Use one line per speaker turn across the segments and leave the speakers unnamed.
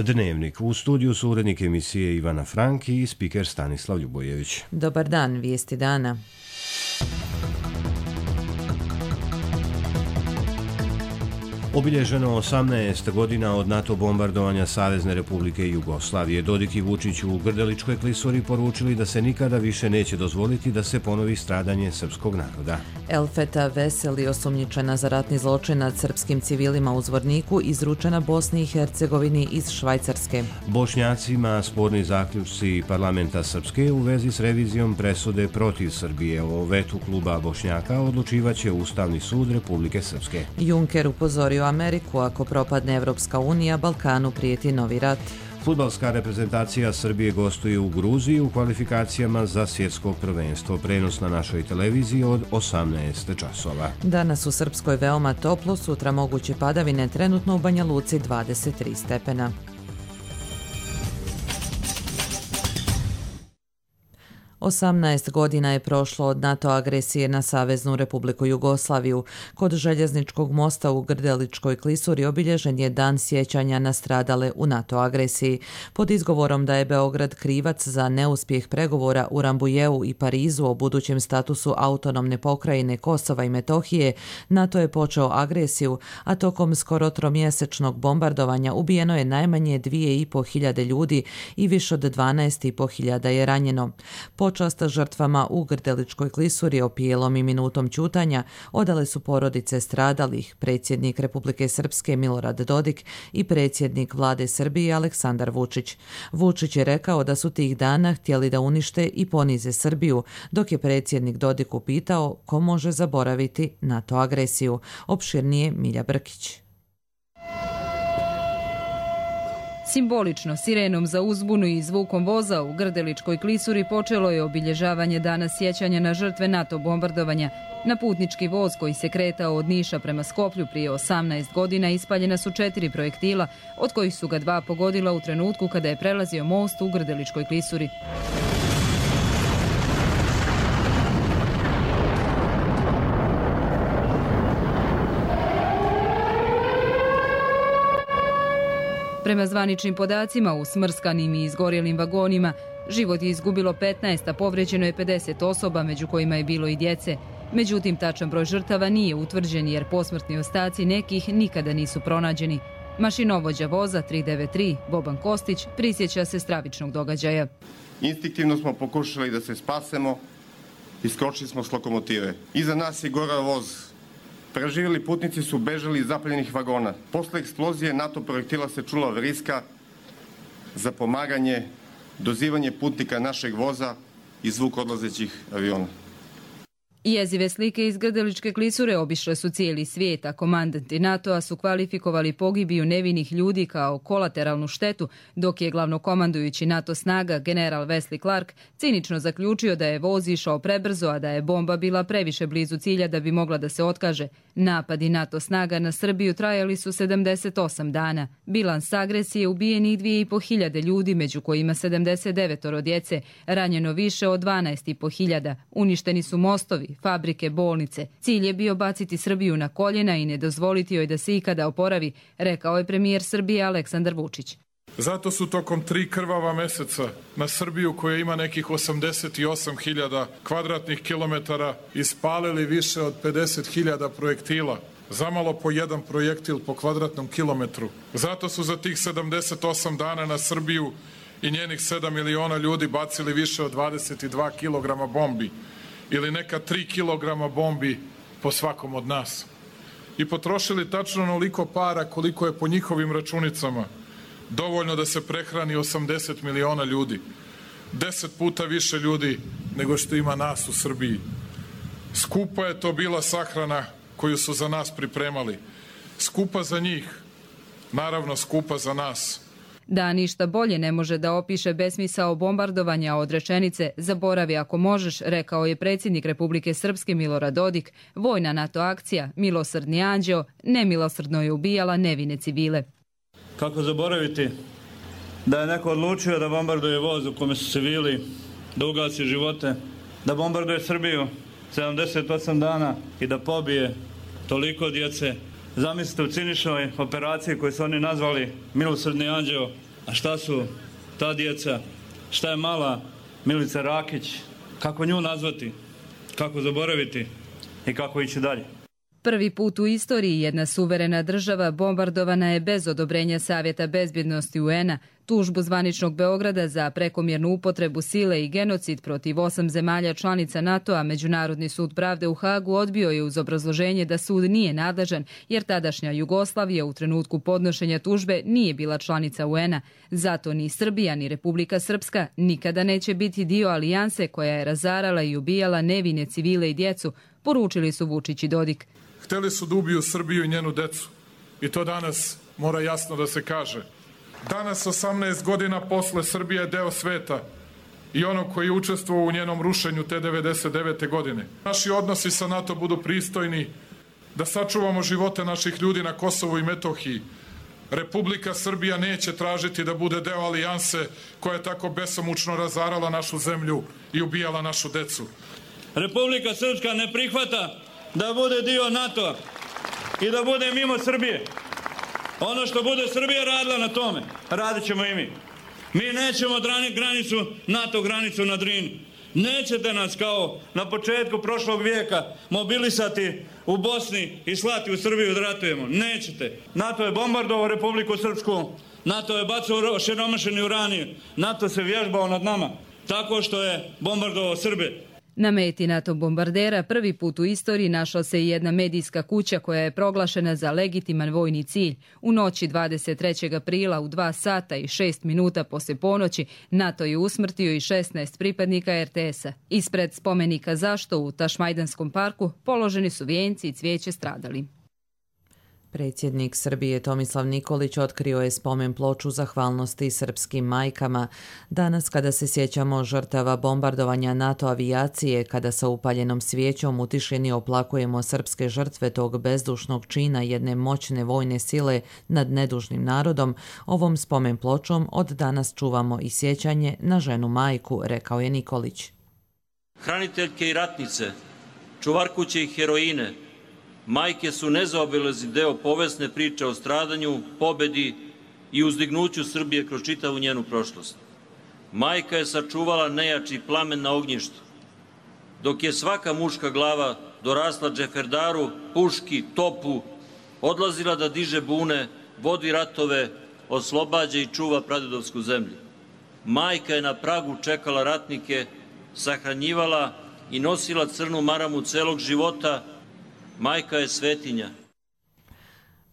Dnevnik. U studiju su urednik emisije Ivana Franki i spiker Stanislav Ljubojević.
Dobar dan, vijesti dana.
Obilježeno 18 godina od NATO bombardovanja Savezne Republike Jugoslavije. Dodik i Vučić u Grdeličkoj klisuri poručili da se nikada više neće dozvoliti da se ponovi stradanje srpskog naroda.
Elfeta Veseli, osumnjičena za ratni zločin nad srpskim civilima u Zvorniku, izručena Bosni i Hercegovini iz Švajcarske.
Bošnjacima sporni zaključci parlamenta Srpske u vezi s revizijom presude protiv Srbije. O vetu kluba Bošnjaka odlučivaće Ustavni sud Republike Srpske.
Juncker upozorio Ameriku, ako propadne Evropska unija, Balkanu prijeti novi rat.
Fudbalska reprezentacija Srbije gostuje u Gruziji u kvalifikacijama za svjetsko prvenstvo. Prenos na našoj televiziji od 18 časova.
Danas u Srpskoj veoma toplo, sutra moguće padavine, trenutno u Banja Luci 23 stepena. Osamnaest godina je prošlo od NATO agresije na Saveznu Republiku Jugoslaviju. Kod željezničkog mosta u Grdeličkoj klisuri obilježen je dan sjećanja na stradale u NATO agresiji. Pod izgovorom da je Beograd krivac za neuspjeh pregovora u Rambujeu i Parizu o budućem statusu autonomne pokrajine Kosova i Metohije, NATO je počeo agresiju, a tokom skoro tromjesečnog bombardovanja ubijeno je najmanje 2.500 ljudi i više od 12.500 je ranjeno. Počast žrtvama u Grdeličkoj klisuri opijelom i minutom ćutanja odale su porodice stradalih, predsjednik Republike Srpske Milorad Dodik i predsjednik vlade Srbije Aleksandar Vučić. Vučić je rekao da su tih dana htjeli da unište i ponize Srbiju, dok je predsjednik Dodik upitao ko može zaboraviti NATO agresiju. Opširnije Milja Brkić.
Simbolično, sirenom za uzbunu i zvukom voza u Grdeličkoj klisuri počelo je obilježavanje dana sjećanja na žrtve NATO bombardovanja. Na putnički voz koji se kretao od Niša prema Skoplju prije 18 godina ispaljena su 4 projektila, od kojih su ga 2 pogodila u trenutku kada je prelazio most u Grdeličkoj klisuri. Prema zvaničnim podacima, u smrskanim i izgorjelim vagonima život je izgubilo 15, a povrijeđeno je 50 osoba, među kojima je bilo i djece. Međutim, tačan broj žrtava nije utvrđen jer posmrtni ostaci nekih nikada nisu pronađeni. Mašinovođa voza 393, Boban Kostić, prisjeća se stravičnog događaja.
Instinktivno smo pokušali da se spasemo i skočili smo s lokomotive. Iza nas je gorao voz. Preživjeli putnici su bežali iz zapaljenih vagona. Posle eksplozije NATO projektila se čula vriska za pomaganje, dozivanje putnika našeg voza i zvuk odlazećih aviona.
Jezive slike iz Grdeličke klisure obišle su cijeli svijet, a komandanti NATO-a su kvalifikovali pogibiju nevinih ljudi kao kolateralnu štetu, dok je glavnokomandujući NATO snaga general Wesley Clark cinično zaključio da je voz išao prebrzo, a da je bomba bila previše blizu cilja da bi mogla da se otkaže. Napadi NATO snaga na Srbiju trajali su 78 dana. Bilans agresije: ubijenih 2.500 ljudi, među kojima 79 djece, ranjeno više od 12.500, uništeni su mostovi, fabrike, bolnice. Cilj je bio baciti Srbiju na koljena i ne dozvoliti joj da se ikada oporavi, rekao je premijer Srbije Aleksandar Vučić.
Zato su tokom 3 krvava meseca na Srbiju, koja ima nekih 88.000 kvadratnih kilometara, ispalili više od 50.000 projektila. Zamalo po jedan projektil po kvadratnom kilometru. Zato su za tih 78 dana na Srbiju i njenih 7 miliona ljudi bacili više od 22 kilograma bombi, ili neka 3 kilograma bombi po svakom od nas. I potrošili tačno onoliko para koliko je po njihovim računicama dovoljno da se prehrani 80 miliona ljudi. 10 puta više ljudi nego što ima nas u Srbiji. Skupa je to bila sahrana koju su za nas pripremali. Skupa za njih, naravno skupa za nas.
Da ništa bolje ne može da opiše besmisao bombardovanja od rečenice "zaboravi ako možeš", rekao je predsjednik Republike Srpske Milorad Dodik. Vojna NATO akcija Milosrdni anđeo nemilosrdno je ubijala nevine civile.
Kako zaboraviti da je neko odlučio da bombarduje voz u kome su civili, da ugasi živote, da bombarduje Srbiju 78 dana i da pobije toliko djece. Zamislite u ciničnoj operaciji koju su oni nazvali Milosrdni anđeo, A šta su ta djeca? Šta je mala Milica Rakić? Kako nju nazvati? Kako zaboraviti? I kako ići dalje?
Prvi put u istoriji jedna suverena država bombardovana je bez odobrenja Savjeta bezbjednosti UN-a. Tužbu zvaničnog Beograda za prekomjernu upotrebu sile i genocid protiv 8 zemalja članica NATO-a Međunarodni sud pravde u Hagu odbio je uz obrazloženje da sud nije nadležan jer tadašnja Jugoslavija u trenutku podnošenja tužbe nije bila članica UN-a. Zato ni Srbija ni Republika Srpska nikada neće biti dio alijanse koja je razarala i ubijala nevine civile i djecu, poručili su Vučić i Dodik.
Hteli su da ubiju Srbiju i njenu decu. I to danas mora jasno da se kaže. Danas, 18 godina posle, Srbija je deo sveta i onog koji je učestvovao u njenom rušenju te 99. godine. Naši odnosi sa NATO budu pristojni, da sačuvamo živote naših ljudi na Kosovu i Metohiji. Republika Srbija neće tražiti da bude deo alijanse koja je tako besomučno razarala našu zemlju i ubijala našu decu.
Republika Srpska ne prihvata da bude dio NATO-a i da bude mimo Srbije. Ono što bude Srbija radila na tome, radit ćemo i mi. Mi nećemo granicu, NATO granicu na Drini. Nećete nas kao na početku prošlog vijeka mobilisati u Bosni i slati u Srbiju da ratujemo. Nećete. NATO je bombardovao Republiku Srpsku, NATO je bacao osiromašeni uranij, NATO se vježbao nad nama tako što je bombardovao Srbe.
Na meti NATO bombardera prvi put u istoriji našla se i jedna medijska kuća koja je proglašena za legitiman vojni cilj. U noći 23. aprila u 2 sata i 6 minuta poslije ponoći NATO je usmrtio i 16 pripadnika RTS-a. Ispred spomenika Zašto u Tašmajdanskom parku položeni su vijenci i cvijeće stradali.
Predsjednik Srbije Tomislav Nikolić otkrio je spomen ploču zahvalnosti srpskim majkama. Danas, kada se sjećamo žrtava bombardovanja NATO avijacije, kada sa upaljenom svijećom u tišini oplakujemo srpske žrtve tog bezdušnog čina jedne moćne vojne sile nad nedužnim narodom, ovom spomen pločom od danas čuvamo i sjećanje na ženu majku, rekao je Nikolić.
Hraniteljke i ratnice, čuvarkuće i heroine, majke su nezaobilazni deo povesne priče o stradanju, pobedi i uzdignuću Srbije kroz čitavu njenu prošlost. Majka je sačuvala nejači plamen na ognjištu, dok je svaka muška glava dorasla džeferdaru, puški, topu, odlazila da diže bune, vodi ratove, oslobađa i čuva pradedovsku zemlju. Majka je na pragu čekala ratnike, sahranjivala i nosila crnu maramu celog života. Majka je svetinja.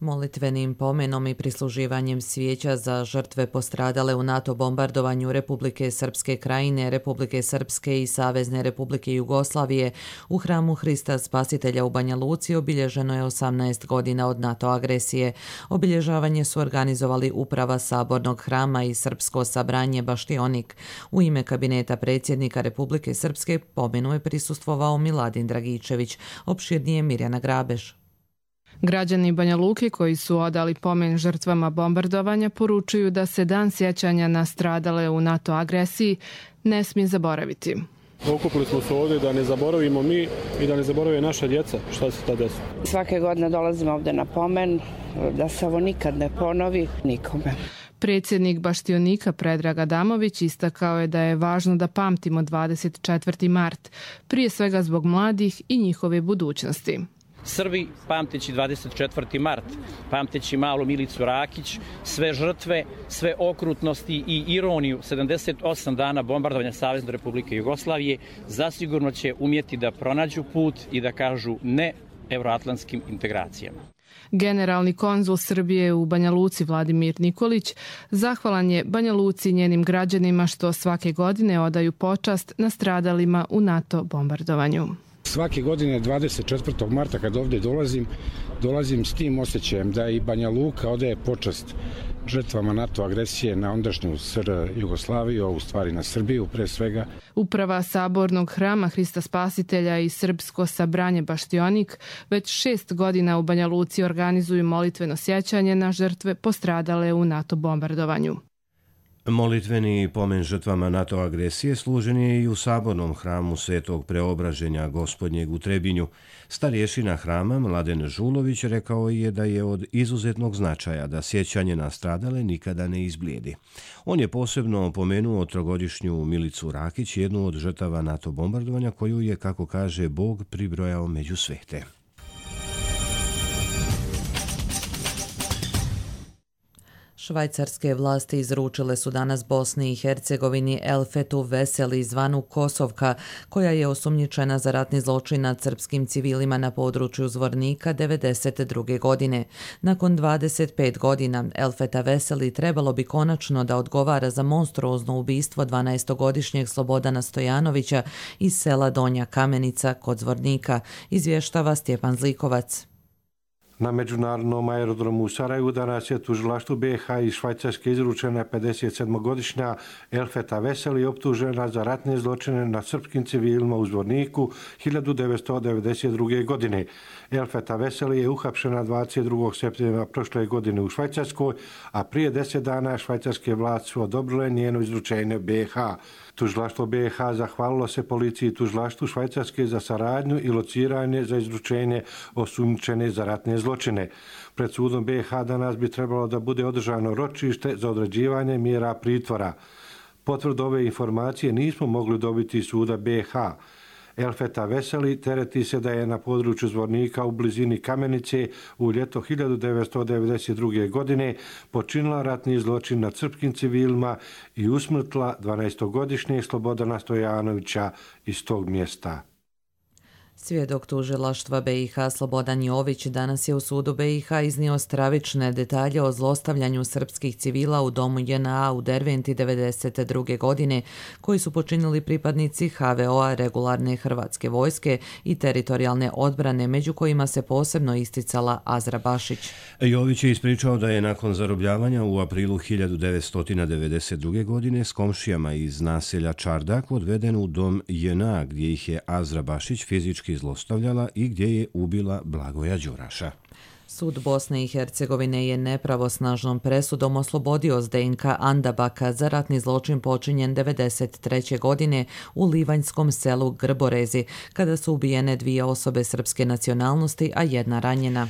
Molitvenim pomenom i prisluživanjem svijeća za žrtve postradale u NATO bombardovanju Republike Srpske Krajine, Republike Srpske i Savezne Republike Jugoslavije u hramu Hrista Spasitelja u Banja Luci obilježeno je 18 godina od NATO agresije. Obilježavanje su organizovali Uprava Sabornog hrama i Srpsko sabranje Baštionik. U ime kabineta predsjednika Republike Srpske pomenu je prisustvovao Miladin Dragičević, opširnije Mirjana Grabež.
Građani Banja Luke koji su odali pomen žrtvama bombardovanja poručuju da se dan sjećanja na stradale u NATO agresiji ne smije zaboraviti.
Okupili smo se ovdje da ne zaboravimo mi i da ne zaborave naša djeca šta se tada desilo.
Svake godine dolazimo ovdje na pomen da se ovo nikad ne ponovi nikome.
Predsjednik Baštionika Predrag Adamović istakao je da je važno da pamtimo 24. mart, prije svega zbog mladih i njihove budućnosti.
Srbi, pamteći 24. mart, pamteći malu Milicu Rakić, sve žrtve, sve okrutnosti i ironiju 78 dana bombardovanja Savezne Republike Jugoslavije, zasigurno će umjeti da pronađu put i da kažu ne evroatlantskim integracijama.
Generalni konzul Srbije u Banja Luci Vladimir Nikolić zahvalan je Banja Luci i njenim građanima što svake godine odaju počast nastradalima u NATO bombardovanju.
Svake godine 24. marta kad ovdje dolazim s tim osjećajem da i Banja Luka odaje počast žrtvama NATO agresije na ondašnju SR Jugoslaviju, a u stvari na Srbiju pre svega.
Uprava Sabornog hrama Hrista Spasitelja i Srpsko sabranje Baštionik već 6 godina u Banja Luci organizuju molitveno sjećanje na žrtve postradale u NATO bombardovanju.
Molitveni pomen žrtvama NATO agresije služen je i u sabornom hramu Svetog Preobraženja Gospodnjeg u Trebinju. Starješina hrama Mladen Žulović rekao je da je od izuzetnog značaja da sjećanje na stradale nikada ne izblijedi. On je posebno pomenuo trogodišnju Milicu Rakić, jednu od žrtava NATO bombardovanja koju je, kako kaže, Bog pribrojao među svete.
Švajcarske vlasti izručile su danas Bosni i Hercegovini Elfetu Veseli zvanu Kosovka, koja je osumnjičena za ratni zločin nad srpskim civilima na području Zvornika 1992. godine. Nakon 25 godina Elfeta Veseli trebalo bi konačno da odgovara za monstruozno ubistvo 12-godišnjeg Slobodana Stojanovića iz sela Donja Kamenica kod Zvornika, izvještava Stjepan Zlikovac.
Na međunarodnom aerodromu u Sarajevu danas je tužilaštvu BiH iz Švajcarske izručena 57-godišnja Elfeta Veseli, optužena za ratne zločine nad srpskim civilima u Zvorniku 1992. godine. Elfeta Veseli je uhapšena 22. septembra prošle godine u Švajcarskoj, a prije 10 dana švajcarske vlasti su odobrile njeno izručenje BiH. Tužilaštvo BiH zahvalilo se policiji i tužilaštvu Švajcarske za saradnju i lociranje za izručenje osumnjičene za ratne zločine. Pred sudom BiH danas bi trebalo da bude održano ročište za određivanje mjera pritvora. Potvrdu ove informacije nismo mogli dobiti iz suda BiH. Elfeta Veseli tereti se da je na području Zvornika u blizini Kamenice u ljeto 1992. godine počinila ratni zločin nad srpskim civilima i usmrtila 12-godišnjeg Slobodana Stojanovića iz tog mjesta.
Svjedok tužilaštva BiH Slobodan Jović danas je u sudu BiH iznio stravične detalje o zlostavljanju srpskih civila u domu JNA u Derventi 1992. godine, koji su počinili pripadnici HVO-a, regularne hrvatske vojske i teritorijalne odbrane, među kojima se posebno isticala Azra Bašić.
Jović je ispričao da je nakon zarobljavanja u aprilu 1992. godine s komšijama iz naselja Čardak odveden u dom JNA, gdje ih je Azra Bašić fizički zlostavljala i gdje je ubila Blagoja Đuraša.
Sud Bosne i Hercegovine je nepravosnažnom presudom oslobodio Zdenka Andabaka za ratni zločin počinjen 1993. godine u livanjskom selu Grborezi, kada su ubijene 2 osobe srpske nacionalnosti, a 1 ranjena.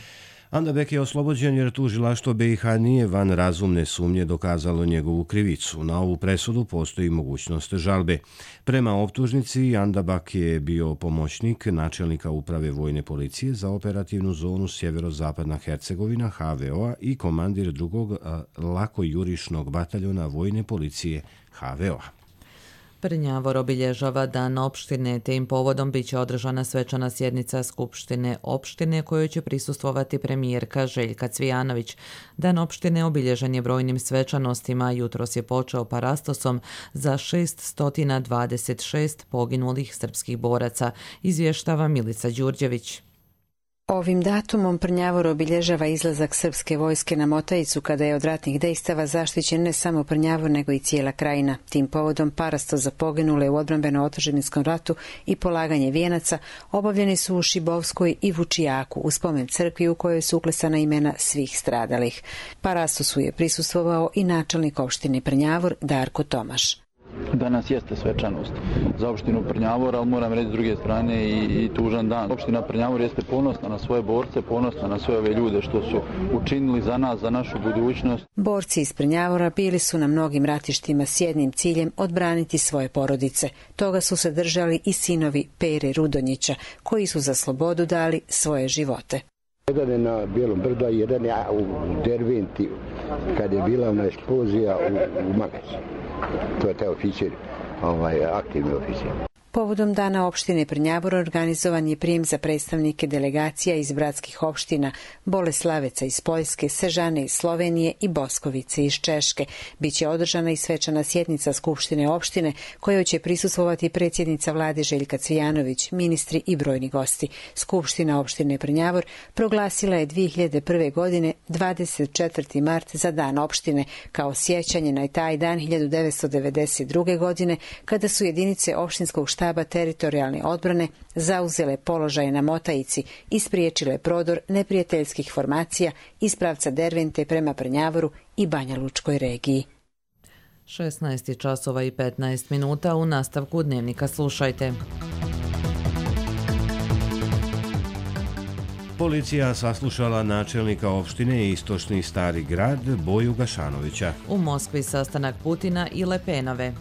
Andabek je oslobođen jer tužilaštvo BiH nije van razumne sumnje dokazalo njegovu krivicu. Na ovu presudu postoji mogućnost žalbe. Prema optužnici, Andabak je bio pomoćnik načelnika uprave vojne policije za operativnu zonu Sjeverozapadna Hercegovina HVO-a i komandir 2. lakojurišnog bataljona vojne policije HVO-a.
Prnjavor obilježava Dan opštine, te im povodom biće održana svečana sjednica Skupštine opštine kojoj će prisustvovati premijerka Željka Cvijanović. Dan opštine obilježen je brojnim svečanostima, jutros je počeo parastosom za 626 poginulih srpskih boraca, izvještava Milica Đurđević.
Ovim datumom Prnjavor obilježava izlazak srpske vojske na Motajicu kada je od ratnih dejstava zaštićen ne samo Prnjavor nego i cijela krajina. Tim povodom parasto za poginule u odbrambeno-otadžbinarskom ratu i polaganje vijenaca obavljeni su u Šibovskoj i Vučijaku u spomen crkvi u kojoj su uklesana imena svih stradalih. Parastosu je prisustvovao i načelnik opštine Prnjavor Darko Tomaš.
Danas jeste svečanost za opštinu Prnjavor, ali moram reći s druge strane i tužan dan. Opština Prnjavor jeste ponosna na svoje borce, ponosna na sve ove ljude što su učinili za nas, za našu budućnost.
Borci iz Prnjavora bili su na mnogim ratištima s jednim ciljem odbraniti svoje porodice. Toga su se držali i sinovi Pere Rudonjića, koji su za slobodu dali svoje živote.
Jedan je na Bijelom brdu, a jedan je u Derventi, kad je bila ona eksplozija u Magaci. To je taj oficir, aktivni oficir.
Povodom Dana opštine Prnjavor organizovan je prijem za predstavnike delegacija iz bratskih opština Boleslaveca iz Poljske, Sežane iz Slovenije i Boskovice iz Češke. Biće održana i svečana sjednica Skupštine opštine kojoj će prisustvovati predsjednica vlade Željka Cvijanović, ministri i brojni gosti. Skupština opštine Prnjavor proglasila je 2001. godine 24. mart za Dan opštine kao sjećanje na taj dan 1992. godine kada su jedinice opštinskog štaba teritorijalne odbrane zauzele položaje na Motajici i spriječile prodor neprijateljskih formacija iz pravca Dervente prema Prnjavoru i Banja Lučkoj regiji.
16 časova i 15 minuta. U nastavku dnevnika slušajte.
Policija saslušala načelnika opštine Istočni Stari Grad Boju Gašanovića.
U Moskvi sastanak Putina i Le Penove.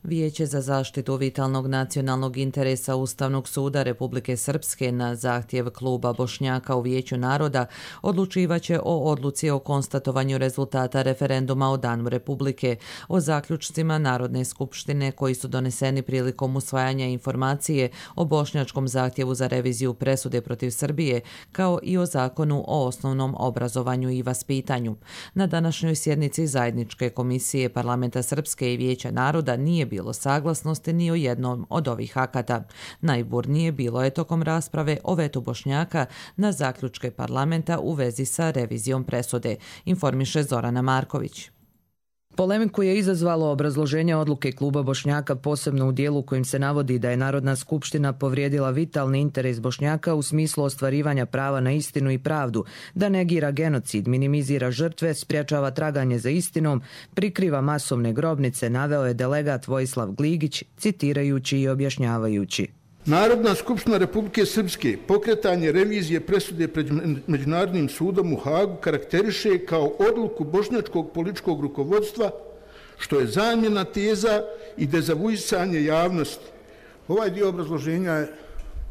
Vijeće za zaštitu vitalnog nacionalnog interesa Ustavnog suda Republike Srpske na zahtjev kluba Bošnjaka u Vijeću naroda odlučivaće o odluci o konstatovanju rezultata referenduma o Danu Republike, o zaključcima Narodne skupštine koji su doneseni prilikom usvajanja informacije o bošnjačkom zahtjevu za reviziju presude protiv Srbije, kao i o zakonu o osnovnom obrazovanju i vaspitanju. Na današnjoj sjednici zajedničke komisije Parlamenta Srpske i Vijeća naroda nije bilo saglasnosti ni o jednom od ovih akata. Najburnije bilo je tokom rasprave o vetu Bošnjaka na zaključke parlamenta u vezi sa revizijom presude, informiše Zorana Marković.
Polemiku je izazvalo obrazloženje odluke kluba Bošnjaka, posebno u dijelu kojim se navodi da je Narodna skupština povrijedila vitalni interes Bošnjaka u smislu ostvarivanja prava na istinu i pravdu, da negira genocid, minimizira žrtve, sprječava traganje za istinom, prikriva masovne grobnice, naveo je delegat Vojislav Gligić, citirajući i objašnjavajući.
Narodna skupština Republike Srpske pokretanje revizije presude pred Međunarodnim sudom u Hagu karakteriše kao odluku bošnjačkog političkog rukovodstva, što je zamjena teza i dezavuisanje javnosti. Ovaj dio obrazloženja je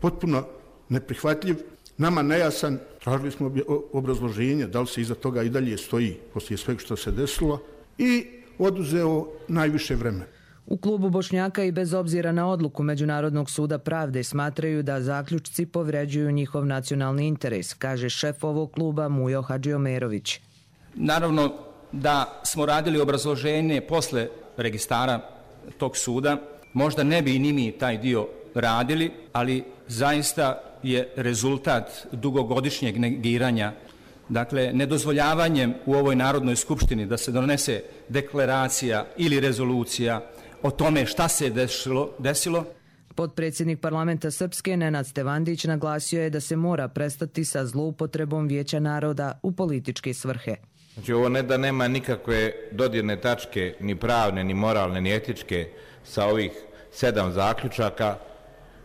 potpuno neprihvatljiv, nama nejasan. Tražili smo obrazloženje, da li se iza toga i dalje stoji poslije svega što se desilo, i oduzeo najviše vremena.
U klubu Bošnjaka i bez obzira na odluku Međunarodnog suda pravde smatraju da zaključci povređuju njihov nacionalni interes, kaže šef ovog kluba Mujo Hadžiomerović.
Naravno da smo radili obrazloženje posle registara tog suda, možda ne bi ni mi taj dio radili, ali zaista je rezultat dugogodišnjeg negiranja, dakle nedozvoljavanjem u ovoj Narodnoj skupštini da se donese deklaracija ili rezolucija o tome šta se desilo.
Potpredsjednik parlamenta Srpske Nenad Stevandić naglasio je da se mora prestati sa zloupotrebom Vijeća naroda u političke svrhe.
Znači ovo ne da nema nikakve dodirne tačke, ni pravne, ni moralne, ni etičke sa ovih 7 zaključaka,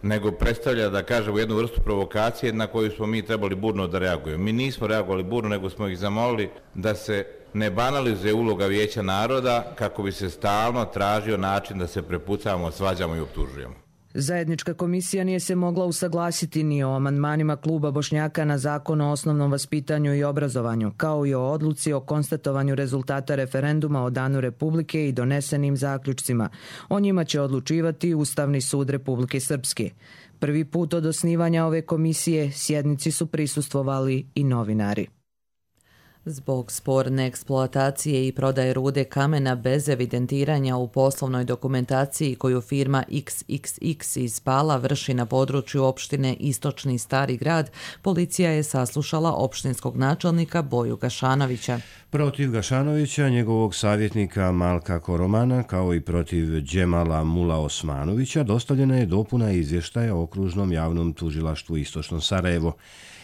nego predstavlja, da kažemo, jednu vrstu provokacije na koju smo mi trebali burno da reagujemo. Mi nismo reagovali burno, nego smo ih zamolili da se ne banalizuje uloga Vijeća naroda kako bi se stalno tražio način da se prepucavamo, svađamo i optužujemo.
Zajednička komisija nije se mogla usaglasiti ni o amandmanima kluba Bošnjaka na zakon o osnovnom vaspitanju i obrazovanju, kao i o odluci o konstatovanju rezultata referenduma o Danu Republike i donesenim zaključcima. O njima će odlučivati Ustavni sud Republike Srpske. Prvi put od osnivanja ove komisije sjednici su prisustvovali i novinari.
Zbog sporne eksploatacije i prodaje rude kamena bez evidentiranja u poslovnoj dokumentaciji koju firma XXX iz Pala vrši na području opštine Istočni Stari Grad, policija je saslušala opštinskog načelnika Boju Gašanovića.
Protiv Gašanovića, njegovog savjetnika Malka Koromana, kao i protiv Džemala Mula Osmanovića, dostavljena je dopuna izvještaja okružnom javnom tužilaštvu Istočno Sarajevo.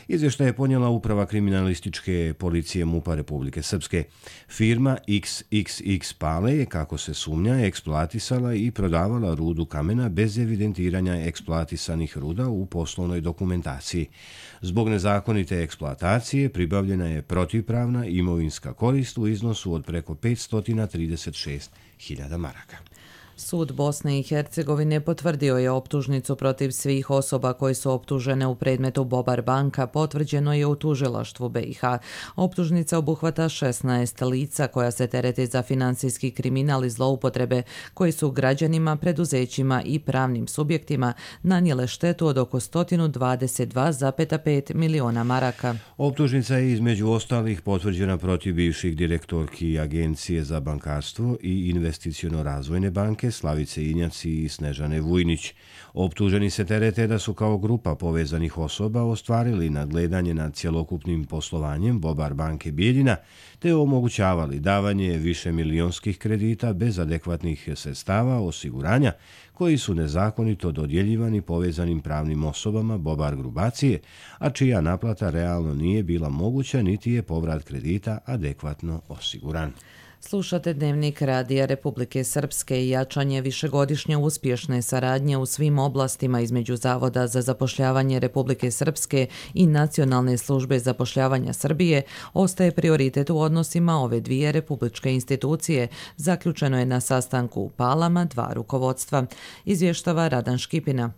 Izvještaj je ponijela uprava kriminalističke policije MUP-a Republike Srpske. Firma XXX Pale je, kako se sumnja, eksploatisala i prodavala rudu kamena bez evidentiranja eksploatisanih ruda u poslovnoj dokumentaciji. Zbog nezakonite eksploatacije pribavljena je protivpravna imovinska korist u iznosu od preko 536.000 maraka.
Sud Bosne i Hercegovine potvrdio je optužnicu protiv svih osoba koje su optužene u predmetu Bobar banka, potvrđeno je u tužilaštvu BiH. Optužnica obuhvata 16 lica koja se terete za finansijski kriminal i zloupotrebe, koji su građanima, preduzećima i pravnim subjektima nanijele štetu od oko 122,5 miliona maraka.
Optužnica je između ostalih potvrđena protiv bivših direktorki Agencije za bankarstvo i investiciono razvojne banke majke Slavice Injaci i Snežane Vujnić. Optuženi se terete da su kao grupa povezanih osoba ostvarili nadgledanje nad cjelokupnim poslovanjem Bobar banke Bijeljina te omogućavali davanje višemilionskih kredita bez adekvatnih sredstava osiguranja koji su nezakonito dodjeljivani povezanim pravnim osobama Bobar grupacije, a čija naplata realno nije bila moguća niti je povrat kredita adekvatno osiguran.
Slušate Dnevnik Radija Republike Srpske i jačanje višegodišnje uspješne saradnje u svim oblastima između Zavoda za zapošljavanje Republike Srpske i Nacionalne službe zapošljavanja Srbije ostaje prioritet u odnosima ove dvije republičke institucije, zaključeno je na sastanku u Palama dva rukovodstva, izvještava Radan Škipina.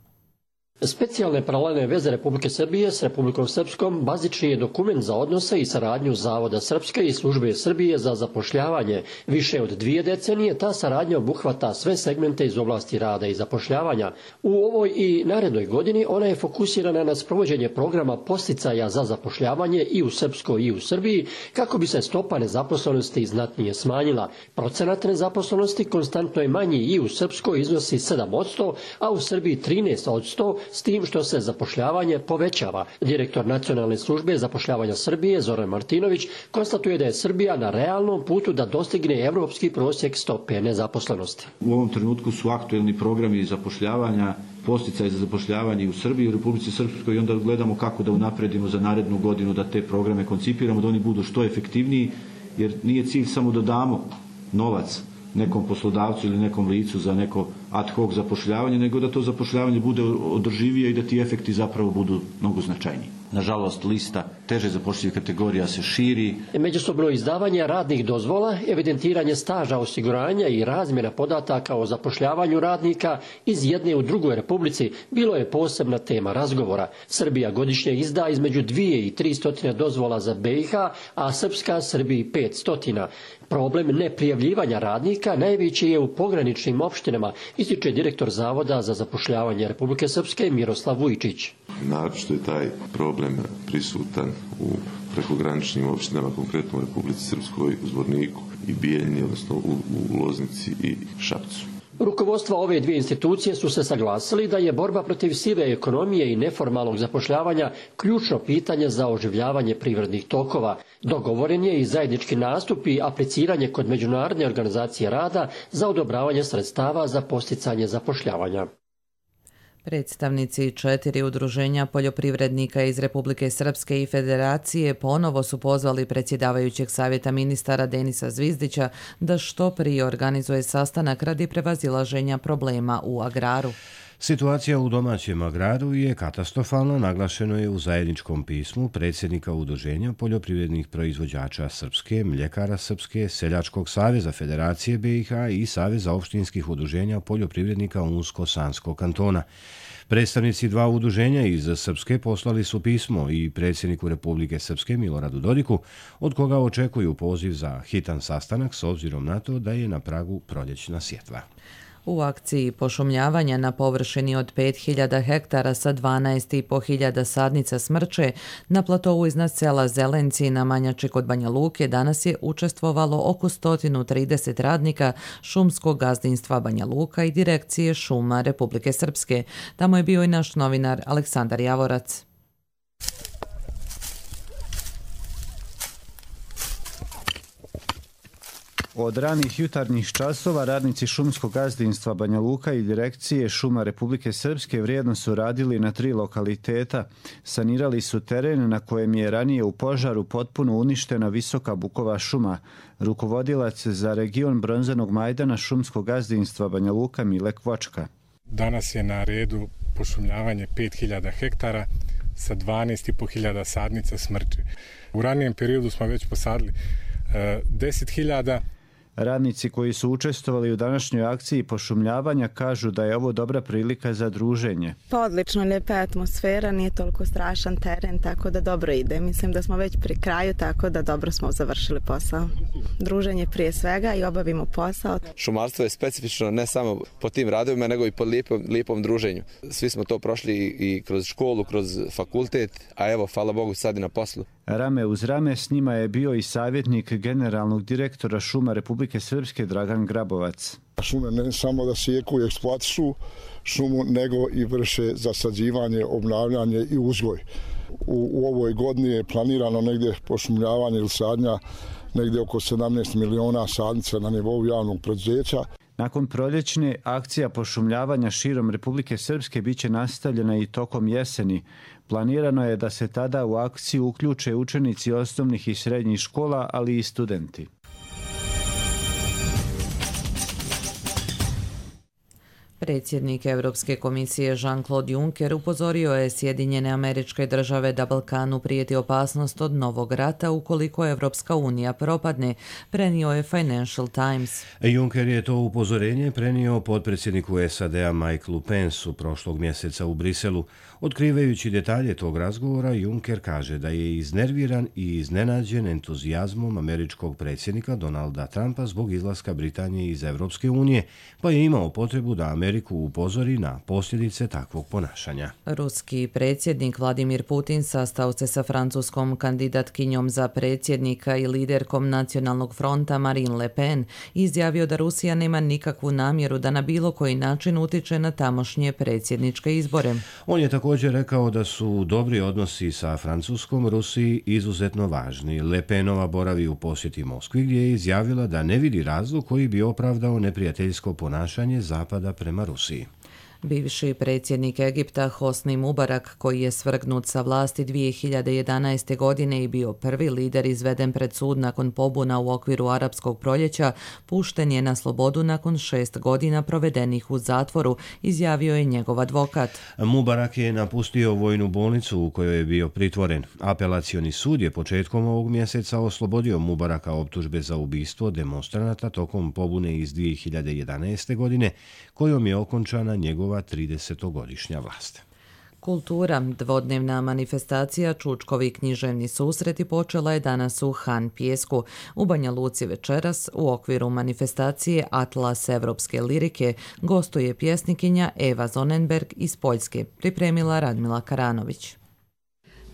Specijalne paralelne veze Republike Srbije s Republikom Srpskom bazični je dokument za odnose i saradnju Zavoda Srpske i Službe Srbije za zapošljavanje. Više od 2 decenije ta saradnja obuhvata sve segmente iz oblasti rada i zapošljavanja. U ovoj i narednoj godini ona je fokusirana na sprovođenje programa podsticaja za zapošljavanje i u Srpskoj i u Srbiji kako bi se stopa nezaposlenosti znatnije smanjila. Procenat nezaposlenosti konstantno je manji i u Srpskoj iznosi 7%, a u Srbiji 13%, s tim što se zapošljavanje povećava. Direktor Nacionalne službe zapošljavanja Srbije, Zoran Martinović, konstatuje da je Srbija na realnom putu da dostigne evropski prosjek stope nezaposlenosti.
U ovom trenutku su aktuelni programi zapošljavanja, podsticaj za zapošljavanje i u Srbiji i u Republici Srpskoj i onda gledamo kako da unapredimo za narednu godinu da te programe koncipiramo, da oni budu što efektivniji, jer nije cilj samo da damo novac nekom poslodavcu ili nekom licu za neko ad hoc zapošljavanje, nego da to zapošljavanje bude održivije i da ti efekti zapravo budu mnogo značajniji. Nažalost, lista teže zapošljivih kategorija se širi.
Međusobno izdavanje radnih dozvola, evidentiranje staža osiguranja i razmjena podataka o zapošljavanju radnika iz jedne u drugoj republici bilo je posebna tema razgovora. Srbija godišnje izda između 2 i 300 dozvola za BiH, a Srpska Srbiji 500. Problem neprijavljivanja radnika najveći je u pograničnim opštinama, ističe direktor Zavoda za zapošljavanje Republike Srpske Miroslav Vujčić.
Naročito je taj problem prisutan u prekograničnim opštinama, konkretno u Republici Srpskoj, u Zvorniku i Bijeljini, odnosno u Loznici i Šapcu.
Rukovodstva ove dvije institucije su se saglasili da je borba protiv sive ekonomije i neformalnog zapošljavanja ključno pitanje za oživljavanje privrednih tokova. Dogovoren je i zajednički nastup i apliciranje kod Međunarodne organizacije rada za odobravanje sredstava za podsticanje zapošljavanja.
Predstavnici 4 udruženja poljoprivrednika iz Republike Srpske i Federacije ponovo su pozvali predsjedavajućeg savjeta ministara Denisa Zvizdića da što prije organizuje sastanak radi prevazilaženja problema u agraru.
Situacija u domaćem agraru je katastrofalna, naglašeno je u zajedničkom pismu predsjednika Udruženja poljoprivrednih proizvođača Srpske, Mljekara Srpske, Seljačkog saveza Federacije BiH i Saveza opštinskih udruženja poljoprivrednika Unsko-Sanskog kantona. Predstavnici 2 udruženja iz Srpske poslali su pismo i predsjedniku Republike Srpske Miloradu Dodiku, od koga očekuju poziv za hitan sastanak s obzirom na to da je na pragu proljećna sjetva.
U akciji pošumljavanja na površini od 5000 hektara sa 12.500 sadnica smrče na platovu iznad sela Zelenci na Manjači kod Banja Luke danas je učestvovalo oko 130 radnika šumskog gazdinstva Banja Luka i Direkcije šuma Republike Srpske. Tamo je bio i naš novinar Aleksandar Javorac.
Od ranih jutarnjih časova radnici šumskog gazdinstva Banja Luka i Direkcije šuma Republike Srpske vrijedno su radili na 3 lokaliteta. Sanirali su teren na kojem je ranije u požaru potpuno uništena visoka bukova šuma. Rukovodilac za region Bronzanog majdana šumskog gazdinstva Banja Luka Mile Kvočka.
Danas je na redu pošumljavanje 5000 hektara sa 12.500 sadnica smrče. U ranijem periodu smo već posadili 10.000.
Radnici koji su učestvovali u današnjoj akciji pošumljavanja kažu da je ovo dobra prilika za druženje.
Pa odlično, lijepa atmosfera, nije toliko strašan teren, tako da dobro ide. Mislim da smo već pri kraju, tako da dobro smo završili posao. Druženje prije svega i obavimo posao.
Šumarstvo je specifično ne samo po tim radovima, nego i po lijepom druženju. Svi smo to prošli i kroz školu, kroz fakultet, a evo, hvala Bogu, sad i na poslu.
Rame uz rame s njima je bio i savjetnik generalnog direktora šuma Republike Srpske Dragan Grabovac.
Šume ne samo da sijeku i eksploatišu šumu, nego i vrše zasađivanje, obnavljanje i uzgoj. U ovoj godini je planirano negdje pošumljavanje ili sadnja negdje oko 17 miliona sadnica na nivou javnog preduzeća.
Nakon proljećne, akcija pošumljavanja širom Republike Srpske biće nastavljena i tokom jeseni. Planirano je da se tada u akciju uključe učenici osnovnih i srednjih škola, ali i studenti.
Predsjednik Europske komisije Jean-Claude Juncker upozorio je Sjedinjene Američke Države da Balkanu prijeti opasnost od novog rata ukoliko Evropska unija propadne, prenio je Financial Times.
Juncker je to upozorenje prenio potpredsjedniku SAD-a Mikeu Pensu prošlog mjeseca u Briselu. Otkrivajući detalje tog razgovora, Juncker kaže da je iznerviran i iznenađen entuzijazmom američkog predsjednika Donalda Trumpa zbog izlaska Britanije iz Evropske unije, pa je imao potrebu da Ameriku upozori na posljedice takvog ponašanja.
Ruski predsjednik Vladimir Putin sastao se sa francuskom kandidatkinjom za predsjednika i liderkom Nacionalnog fronta Marine Le Pen i izjavio da Rusija nema nikakvu namjeru da na bilo koji način utiče na tamošnje predsjedničke izbore.
On je također rekao da su dobri odnosi sa Francuskom Rusiji izuzetno važni. Le Penova boravi u posjeti Moskvi gdje je izjavila da ne vidi razlog koji bi opravdao neprijateljsko ponašanje Zapada prema Rusiji.
Bivši predsjednik Egipta Hosni Mubarak, koji je svrgnut sa vlasti 2011. godine i bio prvi lider izveden pred sud nakon pobuna u okviru arapskog proljeća, pušten je na slobodu nakon 6 godina provedenih u zatvoru, izjavio je njegov advokat.
Mubarak je napustio vojnu bolnicu u kojoj je bio pritvoren. Apelacioni sud je početkom ovog mjeseca oslobodio Mubaraka optužbe za ubistvo demonstranata tokom pobune iz 2011. godine, kojom je okončana njegova 30-godišnja vlast.
Kultura, dvodnevna manifestacija Čučkovi književni susreti počela je danas u Han Pijesku. U Banja Luci večeras u okviru manifestacije Atlas evropske lirike gostuje pjesnikinja Eva Zonenberg iz Poljske, pripremila Radmila Karanović.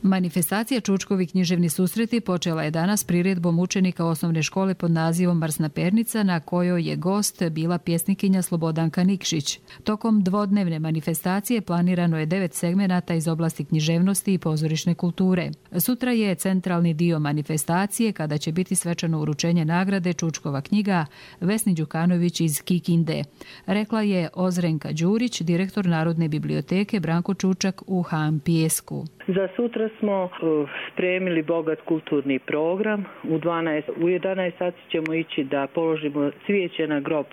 Manifestacija Čučkovi književni susreti počela je danas priredbom učenika osnovne škole pod nazivom Marsna pernica, na kojoj je gost bila pjesnikinja Slobodanka Nikšić. Tokom dvodnevne manifestacije planirano je 9 segmenata iz oblasti književnosti i pozorišne kulture. Sutra je centralni dio manifestacije kada će biti svečano uručenje nagrade Čučkova knjiga Vesni Đukanović iz Kikinde. Rekla je Ozrenka Đurić, direktor Narodne biblioteke Branko Čučak u Han Pijesku.
Za sutra smo spremili bogat kulturni program. U 11 sati ćemo ići da položimo cvijeće na grob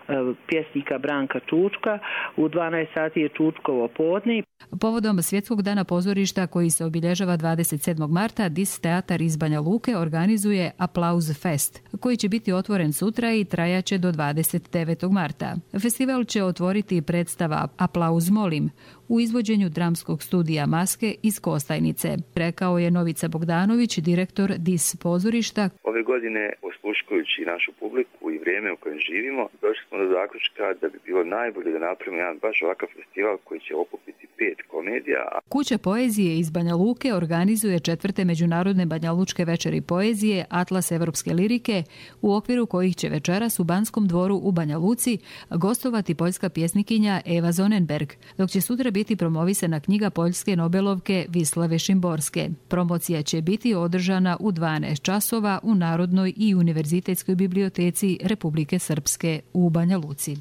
pjesnika Branka Čučka. U 12 sati je Čučkovo podne.
Povodom Svjetskog dana pozorišta koji se obilježava 27. marta, Dis teatar iz Banja Luke organizuje Aplauz Fest, koji će biti otvoren sutra i trajaće do 29. marta. Festival će otvoriti predstava Aplauz molim u izvođenju dramskog studija Maske iz Kostajnice, rekao je Novica Bogdanović, direktor Dis pozorišta.
Ove godine, osluškujući našu publiku i vrijeme u kojem živimo, došli smo do zaključka da bi bilo najbolje da napravimo jedan baš ovakav festival koji će okupiti 5 komedija.
Kuća poezije iz Banja Luke organizuje 4. međunarodne banjalučke večeri poezije Atlas evropske lirike, u okviru kojih će večeras u Banskom dvoru u Banja Luci gostovati poljska pjesnikinja Eva Zonenberg, dok će sutra biti promovisana knjiga poljske nobelovke Vislave Šimborske. Promocija će biti održana u 12 časova u Narodnoj i univerzitetskoj biblioteci Republike Srpske u Banja Luci.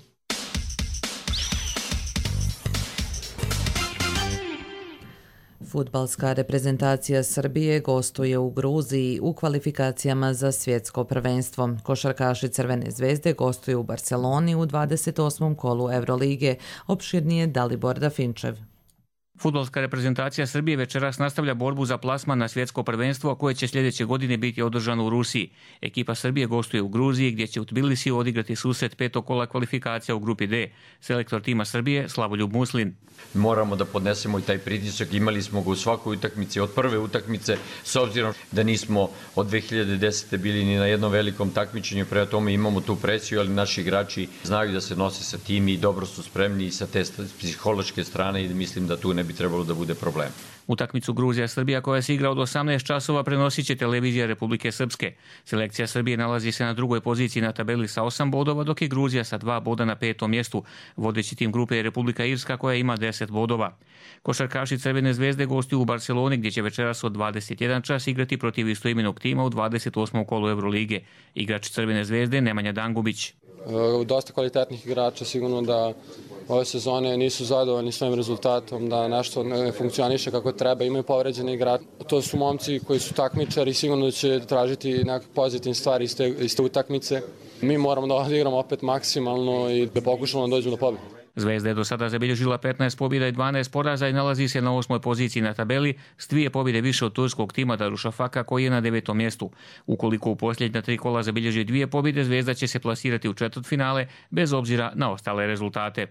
Fudbalska reprezentacija Srbije gostuje u Gruziji u kvalifikacijama za svjetsko prvenstvo. Košarkaši Crvene zvezde gostuju u Barceloni u 28. kolu Eurolige, opširnije Dalibor Dafinčev.
Fudbalska reprezentacija Srbije večeras nastavlja borbu za plasman na svjetsko prvenstvo koje će sljedeće godine biti održano u Rusiji. Ekipa Srbije gostuje u Gruziji gdje će u Tbilisiju odigrati susret 5. kola kvalifikacija u grupi D. Selektor tima Srbije Slavoljub Muslin.
Moramo da podnesemo i taj pritisak. Imali smo ga u svakoj utakmici od prve utakmice, s obzirom da nismo od 2010. bili ni na jednom velikom takmičenju, prema tome imamo tu presiju, ali naši igrači znaju da se nose sa tim i dobro su spremni i sa te psihološke strane i mislim da tu ne bi bi trebalo da bude problem.
Utakmicu Gruzija-Srbija koja se igra od 18 časova prenosit će televizija Republike Srpske. Selekcija Srbije nalazi se na drugoj poziciji na tabeli sa 8 bodova, dok je Gruzija sa 2 boda na 5. mjestu. Vodeći tim grupe je Republika Irska koja ima 10 bodova. Košarkaši Crvene zvezde gostuju u Barceloni gdje će večeras od 21 čas igrati protiv istoimenog tima u 28. kolu Evrolige. Igrač Crvene zvezde Nemanja Dangubić.
Dosta kvalitetnih igrača, sigurno da ove sezone nisu zadovoljni svojim rezultatom, da nešto ne funkcioniše kako treba, imaju povređene igrače. To su momci koji su takmičari, sigurno da će tražiti nekakve pozitivne stvari iz te utakmice. Mi moramo da odigramo opet maksimalno i da pokušamo da dođemo do pobjede.
Zvezda je do sada zabilježila 15 pobjeda i 12 poraza i nalazi se na 8. poziciji na tabeli s 2 pobjede više od turskog tima Darušafaka koji je na 9. mjestu. Ukoliko u posljednja 3 kola zabilježi 2 pobjede, Zvezda će se plasirati u četvrtfinale bez obzira na ostale rezultate.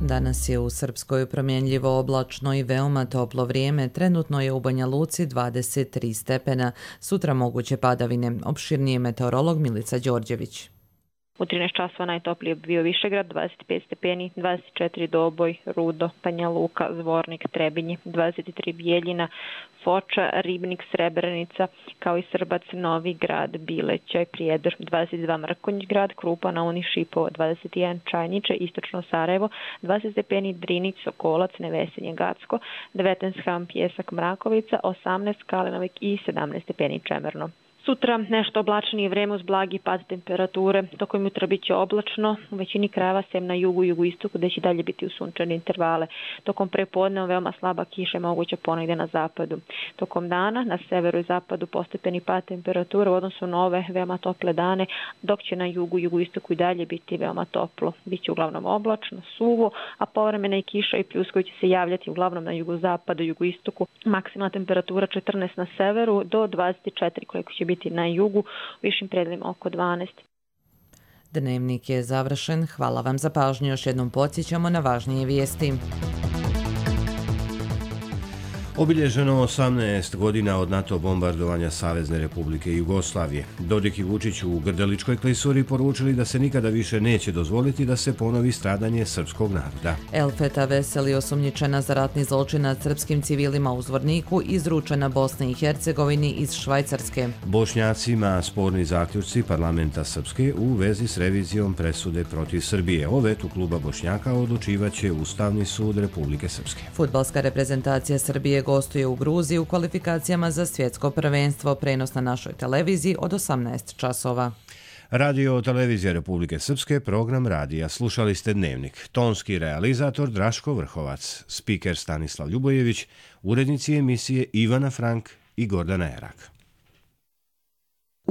Danas je u Srpskoj promjenljivo oblačno i veoma toplo vrijeme. Trenutno je u Banja Luci 23 stepena. Sutra moguće padavine. Opširnije meteorolog Milica Đorđević.
U 13 časova najtoplije bio Višegrad, 25 stepeni, 24 Doboj, Rudo, Banja Luka, Zvornik, Trebinje, 23 Bijeljina, Foča, Ribnik, Srebrenica, kao i Srbac, Novi Grad, Bilećaj, Prijedor, 22 Mrkonjić grad, Krupa, Nauni, Šipovo, 21 Čajniče, Istočno Sarajevo, 20 stepeni Drinić, Sokolac, Nevesenje, Gacko, 19 Ham, Pjesak, Mrakovica, 18 Kalinovik i 17 stepeni Čemerno. Sutra nešto oblačnije vrijeme uz blagi pad temperature, tokom jutra bit će oblačno, u većini krajeva sem na jugu i jugoistoku gdje će dalje biti u sunčane intervale. Tokom prepodne veoma slaba kiša moguća ponegdje na zapadu. Tokom dana na severu i zapadu postepeni pad temperature u odnosu na ove veoma tople dane, dok će na jugu i jugoistoku i dalje biti veoma toplo. Biće uglavnom oblačno, suvo, a povremena i kiša i pljuskovi će se javljati uglavnom na jugozapadu i jugoistoku. Maksimalna temperatura 14 na severu do 24 koliko će biti na jugu, višim predelima oko 12.
Dnevnik je završen. Hvala vam za pažnju. Još jednom podsjećamo na važnije vijesti.
Obilježeno 18 godina od NATO bombardovanja Savezne Republike Jugoslavije. Dodik i Vučić u Grdeličkoj klisuri poručili da se nikada više neće dozvoliti da se ponovi stradanje srpskog naroda.
Elfeta Veseli, osumnjičena za ratni zločin nad srpskim civilima u Zvorniku, izručena Bosni i Hercegovini iz Švajcarske.
Bošnjacima sporni zaključci parlamenta Srpske u vezi s revizijom presude protiv Srbije. O vetu kluba Bošnjaka odlučivaće Ustavni sud Republike Srpske.
Fudbalska reprezentacija Srbije gostuje u Gruziji u kvalifikacijama za svjetsko prvenstvo. Prenos na našoj televiziji od 18 časova.
Radio televizija Republike Srpske, program radija. Slušali ste Dnevnik. Tonski realizator Draško Vrhovac, spiker Stanislav Ljubojević, urednici emisije Ivana Frank i Gordana Erak.